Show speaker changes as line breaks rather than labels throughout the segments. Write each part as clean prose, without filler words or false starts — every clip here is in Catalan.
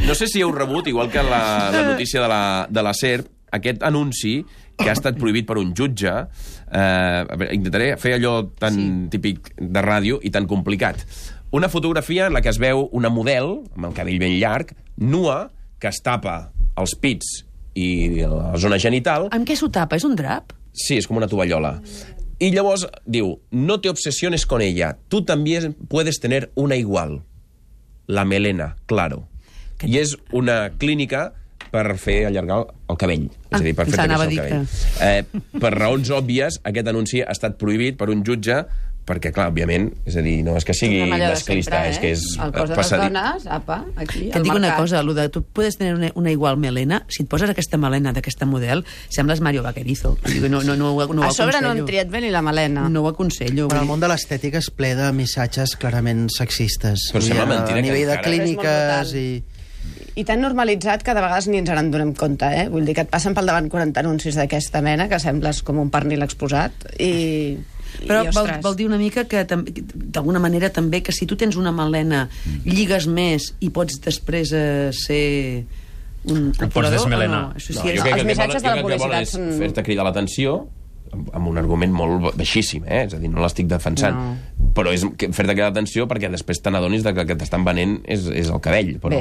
No sé si heu rebut, igual que la notícia de la SER, aquest anunci que ha estat prohibit per un jutge. Intentaré fer allò tan típic de ràdio i tan complicat. Una fotografia en la que es veu una model, amb el cabell ben llarg, nua, que es tapa els pits i la zona genital.
Amb què s'ho tapa? És un drap?
Sí, és com una tovallola. Y llavors diu, no te obsesiones con ella, tú también puedes tener una igual. La melena, claro. I és una clínica per fer allargar el cabell. És a dir, per fer créixer el cabell. Per raons òbvies, aquest anunci ha estat prohibit per un jutge perquè, clar, òbviament, és a dir, no és que sigui masclista, és que és...
El cos de les dones, apa, aquí,
que et dic una cosa, lo de tu puedes tener una igual melena, si et poses aquesta melena d'aquesta model, sembles Mario Vaquerizo. No ho aconsello.
A sobre no han triat bé ni la melena.
No ho aconsello.
Però el món de l'estètica és ple de missatges clarament sexistes.
Però sembla mentida
a nivell de clíniques
i tan normalitzat que de vegades ni ens en donem compte, eh? Vull dir que et passen pel davant 40 anuncis d'aquesta mena que sembles com un pernil exposat i...
Però vol dir una mica que d'alguna manera també que si tu tens una melena lligues més i pots després ser un
pots desmelenar.
Els missatges de la publicitat són...
Fer-te cridar l'atenció amb un argument molt baixíssim, és a dir, no l'estic defensant, però és fer-te cridar l'atenció perquè després te n'adonis que el que t'estan venent és el cabell. Però,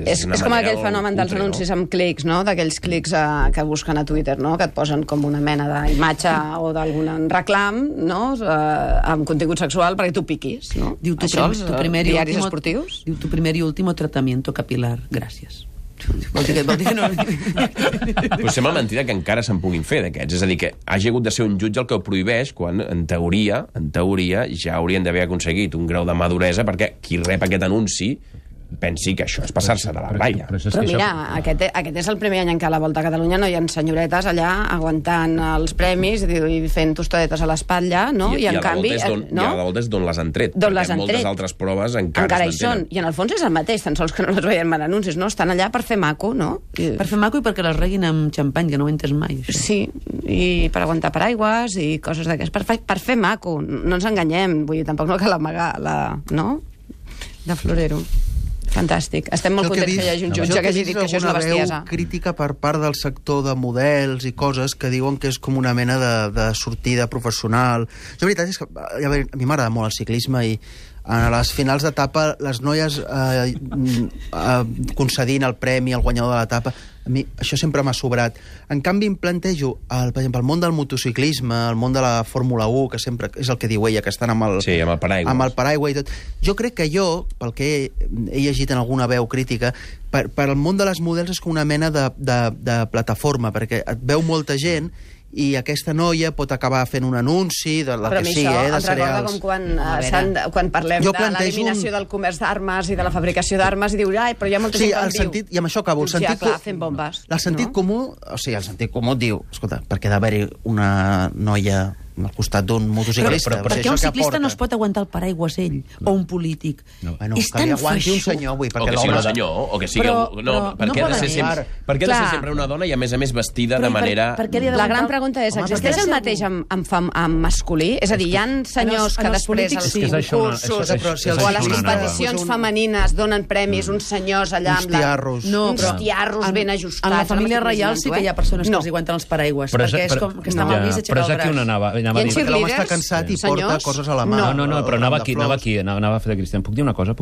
és com aquell fenomen dels anuncis amb clics, no? D'aquells clics que busquen a Twitter, no? Que et posen com una mena d'imatge o d'algun reclam, no? Amb contingut sexual perquè tu piquis, no?
Diu tu primer y último tratamiento capilar. Gràcies. Vol dir que no...
Però sembla mentida que encara se'n puguin fer d'aquests. És a dir, que hagi hagut de ser un jutge el que ho prohibeix quan, en teoria, ja haurien d'haver aconseguit un grau de maduresa perquè qui rep aquest anunci pensi que això és passar-se de la ratlla.
Però mira, aquest és el primer any en què a la Volta a Catalunya no hi ha senyoretes allà aguantant els premis i fent tostadetes a l'espatlla, no?
I en canvi... I a la Volta és d'on les han tret, perquè moltes altres proves encara
hi són. I en el fons és el mateix, tan sols que no les veiem en anuncis, no? Estan allà per fer maco, no?
Per fer maco i perquè les reguin amb xampany, que no ho he entès mai.
Sí, i per aguantar paraigües i coses d'aquestes. Per fer maco, no ens enganyem. Vull dir, tampoc no cal amagar no? De florero. Fantàstic. Estem molt contents que hi hagi un jutge que hagi dit que això és una bestiesa.
Crítica per part del sector de models i coses que diuen que és com una mena de sortida professional. La veritat és que a mi m'agrada molt el ciclisme i a les finals d'etapa les noies concedint el premi al guanyador de l'etapa, a mi això sempre m'ha sobrat. En canvi em plantejo per exemple, el món del motociclisme, el món de la Fórmula 1, que sempre és el que diu ella, que estan amb el paraigua i tot. Jo crec que pel que he llegit en alguna veu crítica, per al món de les models és com una mena de plataforma, perquè et veu molta gent i aquesta noia pot acabar fent un anunci de la que sigui, de cereals.
Però a mi això em recorda com quan parlem de l'eliminació del comerç d'armes i de la fabricació d'armes i diu, però hi ha molta gent que em diu...
I amb això acabo.
Ja, clar, fent bombes.
El sentit comú, el sentit comú diu, escolta, perquè ha d'haver-hi una noia al costat d'un motociclista.
Però per què un ciclista no es pot aguantar el paraigües ell? O un polític? És tan
aguanti un senyor,
o que sigui un senyor, o que sigui... Per què ha de ser sempre una dona i a més vestida de manera...
La gran pregunta és, existeix el mateix amb masculí? És a dir, hi ha senyors que després als concursos o a les competicions femenines donen premis uns senyors allà amb uns tiarros ben ajustats.
En la família reial sí que hi ha persones que els aguanten els paraigües, perquè és com que està mal vist aixecar el braç.
Perquè l'home està cansat i porta coses a la mà.
No, però anava a fer de Cristian. Puc dir una cosa?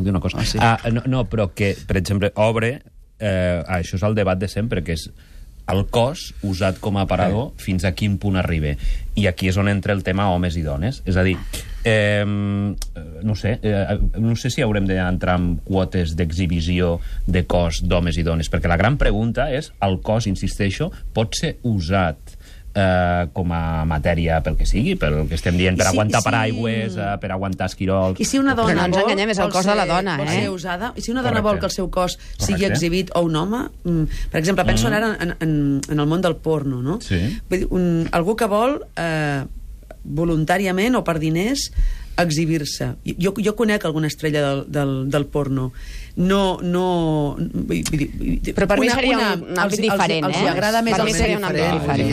No, però que, per exemple, obre... això és el debat de sempre, que és el cos usat com a aparador fins a quin punt arriba. I aquí és on entra el tema homes i dones. És a dir, no sé si haurem d'entrar en quotes d'exhibició de cos d'homes i dones, perquè la gran pregunta és, el cos, insisteixo, pot ser usat com a matèria pel que sigui, pel que estem dient, per aguantar paraigües, per aguantar esquirols...
I si una dona
no ens enganyem, és el cos de la dona,
vol ser usada, i si una dona vol que el seu cos sigui exhibit, o un home, per exemple, penso ara en el món del porno, no?
Sí.
Algú que vol voluntàriament o per diners exhibir-se. Jo conec alguna estrella del porno.
Però per mi seria un àmbit diferent,
Els agrada més el seria un àmbit diferent.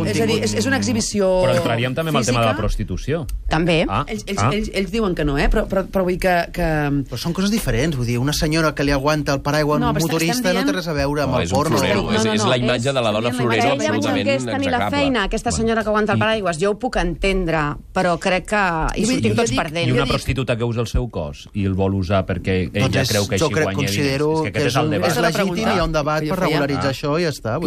És a dir, és una exhibició física.
Però entraríem també amb el tema de la prostitució.
També.
Ells diuen que no, però vull que...
Però són coses diferents, vull dir, una senyora que li aguanta el paraigua a un motorista no té res a veure amb el porno.
És la imatge de la dona florero absolutament
execrable. Aquesta senyora que aguanta el paraigua, jo ho puc entendre, però crec que hi sortim tots perdent.
I una prostituta que usa el seu cos i el vol usar perquè ella creu que així guanya diners.
Considero que és legítim, hi ha un debat per regularitzar això i ja està.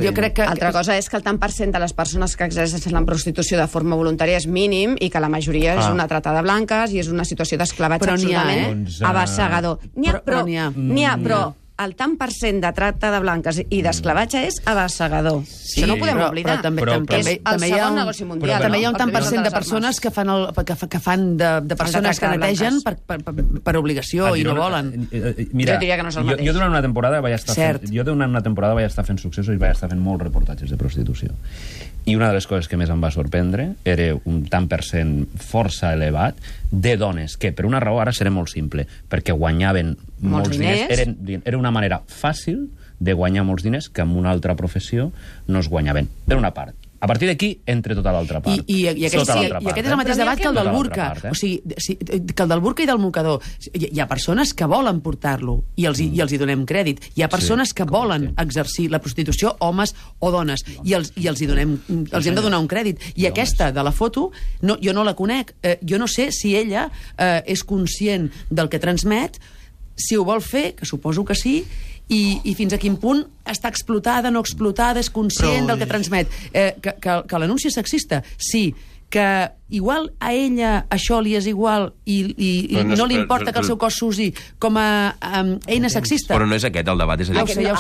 Altra cosa és que el tant per cent de les persones que exerceixen la prostitució de forma voluntària és mínim i que la majoria és una trata de blanques i és una situació d'esclavatge absolutament abassegador. N'hi ha, però el tant per cent de tracte de blanques i d'esclavatge és abassegador. Això no ho podem oblidar. És el segon negoci mundial.
També hi ha un tant per cent de persones que fan de persones que netegen per obligació i no volen.
Mira,
jo diria que no és el mateix.
Jo durant una temporada vaig estar fent successos i vaig estar fent molts reportatges de prostitució. I una de les coses que més em va sorprendre era un tant per cent força elevat de dones que, per una raó, ara seré molt simple, perquè guanyaven molts diners. Era una manera fàcil de guanyar molts diners que amb una altra professió no es guanyaven. Per una part. A partir d'aquí, entre tota l'altra part.
I aquest és el mateix debat que el del burca. O sigui, que el del burca i del mocador. Hi ha persones que volen portar-lo i els hi donem crèdit. Hi ha persones que volen exercir la prostitució, homes o dones, i els hem de donar un crèdit. I aquesta de la foto, jo no la conec. Jo no sé si ella és conscient del que transmet, si ho vol fer, que suposo que sí, i fins a quin punt està explotada, no explotada, és conscient del que transmet. Que l'anunci és sexista, sí. Que igual a ella això li és igual i no li importa que el seu cos s'usi com a eina sexista.
Però no és aquest el debat. És a dir,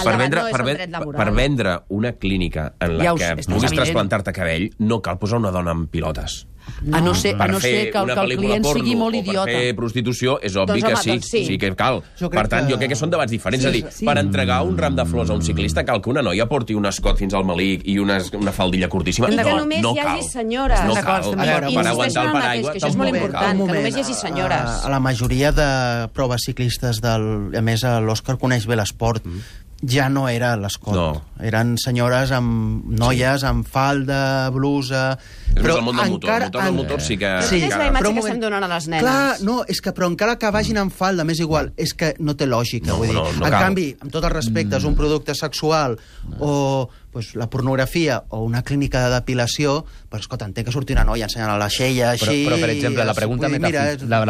per vendre una clínica en la que puguis trasplantar-te cabell, no cal posar una dona amb pilotes.
A no ser que el client sigui molt idiota.
Per fer prostitució és obvi que sí que cal. Per tant, jo crec que són debats diferents. És a dir, per entregar un ram de flors a un ciclista cal que una noia porti un escot fins al melic i una faldilla curtíssima.
I que només hi hagi senyores.
No cal. Per aguantar el paraigua
això és molt important, que només hi hagi senyores.
A la majoria de proves ciclistes, a més l'Òscar coneix bé l'esport, ja no era l'escot. No. Eren senyores amb noies, amb falda, blusa...
Però el món del motor. El motor sí que...
Sí, és la imatge que estem donant a les nenes.
Clar, no, és que però encara que vagin amb falda, m'és igual, és que no té lògica, vull dir. En canvi, amb tots els respectes, un producte sexual o la pornografia o una clínica de depilació, però escolta, entenc que surti una noia ensenyant la xella així...
Però per exemple, la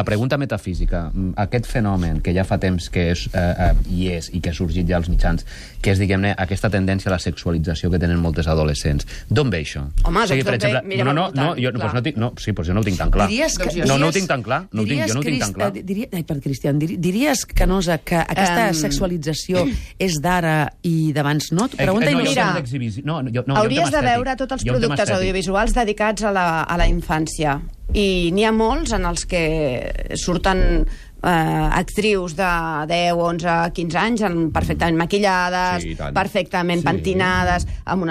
pregunta metafísica, aquest fenomen que ja fa temps que hi és i que ha sorgit ja als mitjans, que és, diguem-ne, aquesta tendència a la sexualització que tenen moltes adolescents. D'on ve això?
Home, doncs d'on ve? Mira,
jo no ho tinc tan clar. No ho tinc tan clar. Jo no ho tinc tan clar.
Cristian, diries, Canosa, que aquesta sexualització és d'ara i d'abans no?
Mira, hauries de veure tots els productes audiovisuals dedicats a la infància. I n'hi ha molts en els que surten actrius de 10, 11, 15 anys perfectament maquillades, perfectament pentinades, amb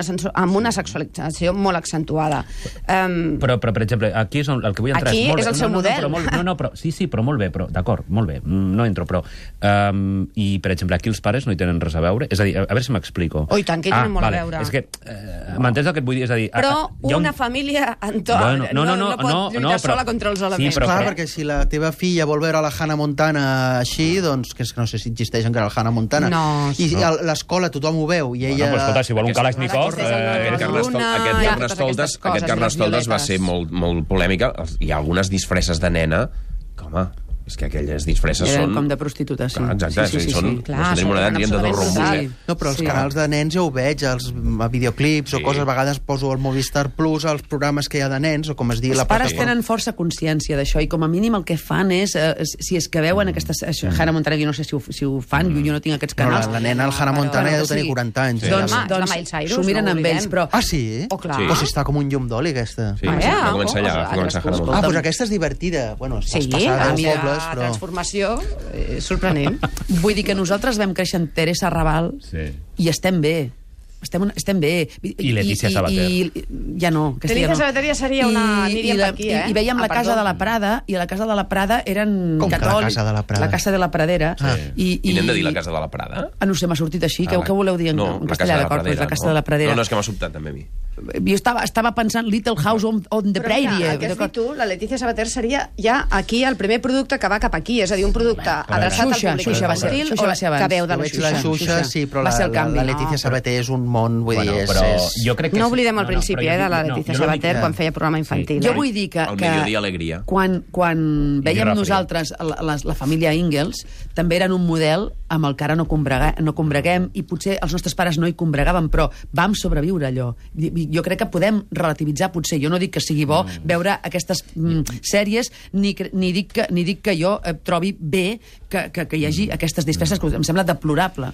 una sexualització molt accentuada.
Però, per exemple, aquí és el que vull entrar.
Aquí és el seu model.
Sí, però molt bé, d'acord, molt bé, no entro, però... I, per exemple, aquí els pares no hi tenen res a veure? És a dir, a veure si m'explico.
Oh, i tant, que hi tenen molt a veure.
És que, m'entens el que et vull dir? És a dir...
Però una família no pot lluitar sola contra els elements.
Clar, perquè si la teva filla vol veure la Hannah Montana així, doncs, que no sé si existeix encara el Hannah Montana, i a l'escola tothom ho veu, i ella...
Bueno, però escolta, si vol un Kalashnikov...
Aquest Carnestoltes va ser molt polèmica. Hi ha algunes disfresses de nena que, home... És que aquelles disfresses són...
com de prostituta, sí.
Exacte, són... Tenim una edat, diem, de dos rombos,
No, però els canals de nens ja ho veig, els videoclips o coses, a vegades poso el Movistar Plus, els programes que hi ha de nens, o com es digui la plataforma.
Els pares tenen força consciència d'això, i com a mínim el que fan és, si és que veuen aquestes... Hannah Montana, jo no sé si ho fan, jo no tinc aquests canals.
La nena, el Hannah Montana, ja deu tenir 40 anys.
Doncs s'ho miren amb ells, però...
Ah, sí? Però si està com un llum d'oli, aquesta.
Sí, va començar allà, va començar Hannah Montana.
Ah, doncs aquesta és divertida. Bueno, estàs passada als pobles, però...
transformació sorprenent.
Vull dir que nosaltres vam créixer amb Teresa Raval i estem bé. estem bé.
I Letícia Sabater.
Ja no.
Letícia Sabater ja seria una... Aniríem per aquí,
I veiem la Casa de la Prada, i a la Casa de la Prada eren catòlics.
Com que la Casa de la Prada?
La Casa de la Pradera.
I n'hem de dir la Casa de la Prada?
No sé, m'ha sortit així. Què voleu dir en castellà, d'acord? La Casa de la Pradera.
No, és que m'ha sobtat també a mi.
Jo estava pensant Little House on the Prairie.
Però el que has dit tu, la Letícia Sabater seria ja aquí el primer producte que va cap aquí, és a dir, un producte adreçat al públic infantil o que veu de la Xuxa.
La Xuxa, sí, però la Letícia Sabater és un món, vull dir,
no oblidem al principi, de la Letícia Sabater quan feia programa infantil.
Jo vull dir que...
El Mediodía Alegria.
Quan veiem nosaltres la família Ingalls, també eren un model amb el que ara no combreguem, i potser els nostres pares no hi combregaven, però vam sobreviure allò. Jo crec que podem relativitzar, potser. Jo no dic que sigui bo veure aquestes sèries, ni dic que jo trobi bé que hi hagi aquestes disfresses, que em sembla deplorable.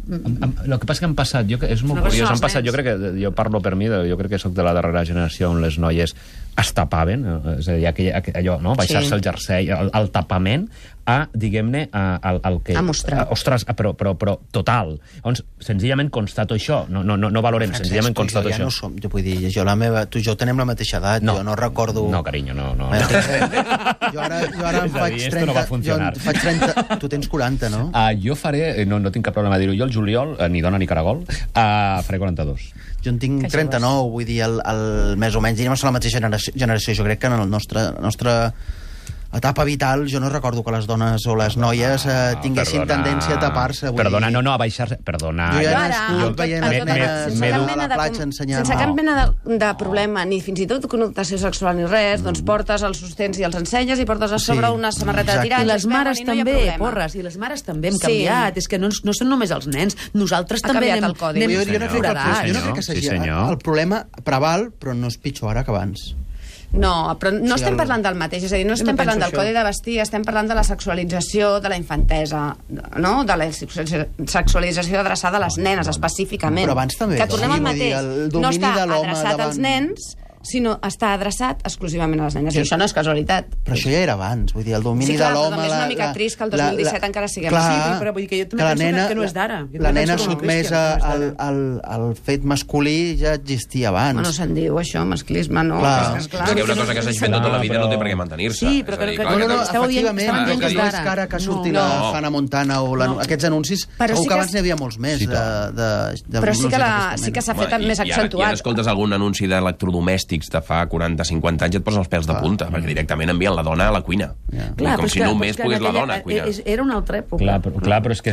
El que passa que han passat, és molt curiós, jo crec que, jo parlo per mi, jo crec que sóc de la darrera generació on les noies es tapaven, és a dir, allò, baixar-se el jersei, el tapament, diguem-ne, el que...
A mostrar.
Ostres, però total. Llavors, senzillament constato això, no valorem, senzillament constato això.
Jo vull dir, tu i jo tenem la mateixa edat, jo no recordo...
No, carinyo, no.
Jo ara em faig 30... Tu tens 40, no?
Jo faré, no tinc cap problema a dir-ho, jo el juliol, ni dona ni caragol, faré 42.
Jo en tinc 39, vull dir, més o menys, diríem a la mateixa generació. Jo crec que en la nostra etapa vital, jo no recordo que les dones o les noies tinguessin tendència a tapar-se.
Perdona, a baixar-se. Perdona.
Jo ja he nascut veient a la platja ensenyant...
Sense cap mena de problema, ni fins i tot connotació sexual ni res, doncs portes els sostens i els ensenyes i portes a sobre una samarreta de tirants.
I les mares també, porres, i les mares també hem canviat. És que no són només els nens, nosaltres també anem floredat.
Jo no crec que sigui... El problema preval, però no és pitjor ara que abans.
No, però no estem parlant del mateix, és a dir, no estem parlant del codi de vestir, estem parlant de la sexualització de la infantesa, no? De la sexualització adreçada a les nenes, específicament.
Però abans també.
Que tornem al mateix. No està adreçat als nens, sinó està adreçat exclusivament a les nenes. I això no és casualitat.
Però això ja era abans, vull dir, el domini de l'home...
Sí, clar, però també és una mica trist que el 2017 encara siguem
així. Sí, però vull dir que jo també penso que no és d'ara.
La nena sotmesa al fet masculí ja existia abans.
No se'n diu això, masclisme, no?
És que una cosa que s'ha fet tota la vida no té per què mantenir-se.
Sí, però esteu dient que és d'ara.
Ara que ha sortit la Hannah Montana o aquests anuncis, segur que abans n'hi havia molts més.
Però sí que s'ha fet més accentuat.
I ara escoltes algun anunci d'electrodomèstics de fa 40-50 anys, et posen els pèls de punta, perquè directament envien la dona a la cuina. Com si només pogués la dona cuinar.
Era una altra època.
Clar, però és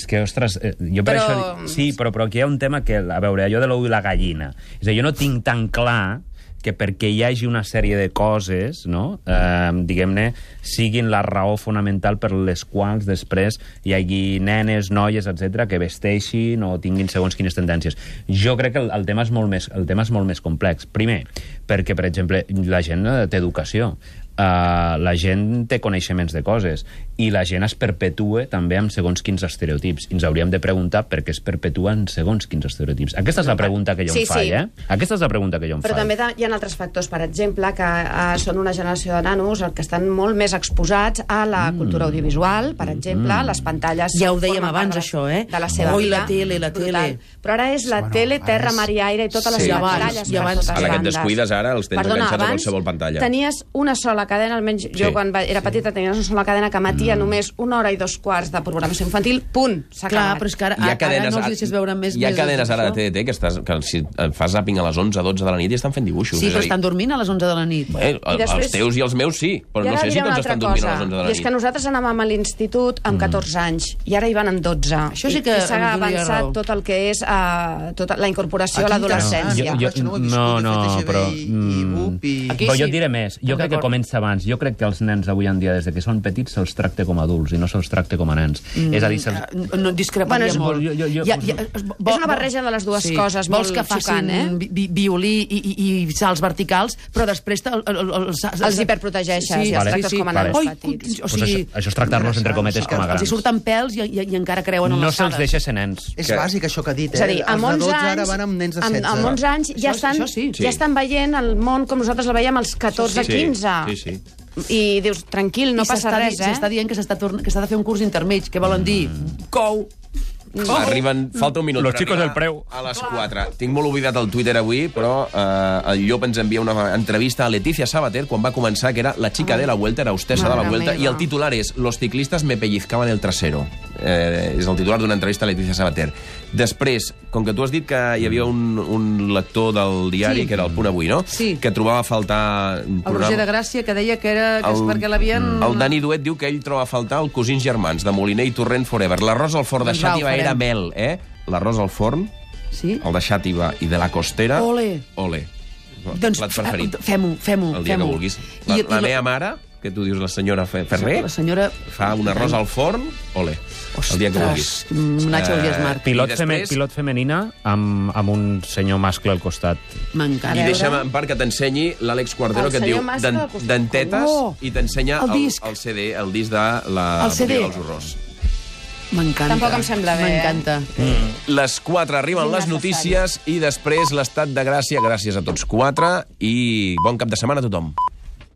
que, ostres, jo per això... Sí, però aquí hi ha un tema que, a veure, allò de l'ou i la gallina. És a dir, jo no tinc tan clar que perquè hi hagi una sèrie de coses, no? Diguem-ne, siguin la raó fonamental per les quals després hi hagi nenes, noies, etc que vesteixin o tinguin segons quines tendències. Jo crec que el tema és molt més complex. Primer, perquè, per exemple, la gent té educació. La gent té coneixements de coses i la gent es perpetua també amb segons quins estereotips. I ens hauríem de preguntar per què es perpetuen segons quins estereotips. Aquesta és la pregunta que jo em faig, Aquesta és la pregunta que jo em faig.
Però també hi ha altres factors, per exemple, que són una generació de nanos que estan molt més exposats a la cultura audiovisual, per exemple, les pantalles...
Ja ho dèiem abans, això,
de la seva vida.
La tele.
Però ara és la tele, terra, mar i aire i totes les pantalles per totes bandes.
Ara que et descuides, ara els tens enganxats a qualsevol pantalla.
Tenies una sola cadena, almenys jo quan era petita tenia una sola cadena que emetia només 1 hora i 2 quarts de programació infantil, punt, s'ha acabat.
Clar, però és que ara no els deixes veure més...
Hi ha cadenes ara de TDT que si fas zàping a les 11-12 de la nit i estan fent dibuixos.
Sí, però estan dormint a les 11 de la nit.
Els teus i els meus sí, però no sé si tots estan dormint a les 11 de la nit.
I és que nosaltres anàvem a l'institut amb 14 anys i ara hi van amb 12.
Això sí que
s'ha avançat tot el que és tota la incorporació a l'adolescència.
No, però jo et diré més. Jo crec que comença abans. Jo crec que els nens avui en dia, des de que són petits, se'ls tracta com a adults i no se'ls tracta com a nens. És a dir,
no discreparia molt.
És una barreja de les dues coses molt xocant,
Vols que facin violí i salts verticals, però després
els hiperprotegeixes i els tractes com a nens petits.
Això és tractar-los entre cometes com a grans.
Els hi surten pèls i encara creuen en
no
l'alçada.
No se'ls deixa ser nens.
És bàsic això que ha dit,
És a dir, amb 11
ara van amb nens de 16.
Amb 11 anys ja estan veient el món com nosaltres el veiem als 14-15.
Sí.
I dius, tranquil, no passa res,
S'està dient que s'ha de fer un curs intermig. Què volen dir? Cou.
Arriben... Falta un minut.
Los chicos del preu.
A les 4. Tinc molt oblidat el Twitter avui, però el Llop ens envia una entrevista a Leticia Sabater quan va començar, que era la chica de la Vuelta, era hostessa de la Vuelta, i el titular és Los ciclistas me pellizcaban el trasero. És el titular d'una entrevista a Leticia Sabater. Després, com que tu has dit que hi havia un lector del diari, que era el Punt Avui, no?
Sí.
Que trobava a faltar...
El Roger de Gràcia, que deia que és perquè l'havien...
El Dani Duet diu que ell troba a faltar el Cosins Germans, de Moliner i Torrent Forever. L'arròs al forn de Xàtiva era mel, L'arròs al forn, el de Xàtiva i de la Costera...
Ole! Doncs fem-ho.
El dia que vulguis. La meva mare, que tu dius la senyora Ferrer, fa un arròs al forn, ole. El dia que vulguis.
Nacho Smart.
Pilot femenina amb un senyor mascle al costat.
M'encanta.
I deixa'm en part que t'ensenyi l'Àlex Cuartero, que et diu dentetes, i t'ensenya el CD, el disc de la Botiga dels Horrors.
M'encanta.
Tampoc em sembla bé.
M'encanta.
Les 4 arriben les notícies i després l'estat de gràcia. Gràcies a tots 4 i bon cap de setmana a tothom.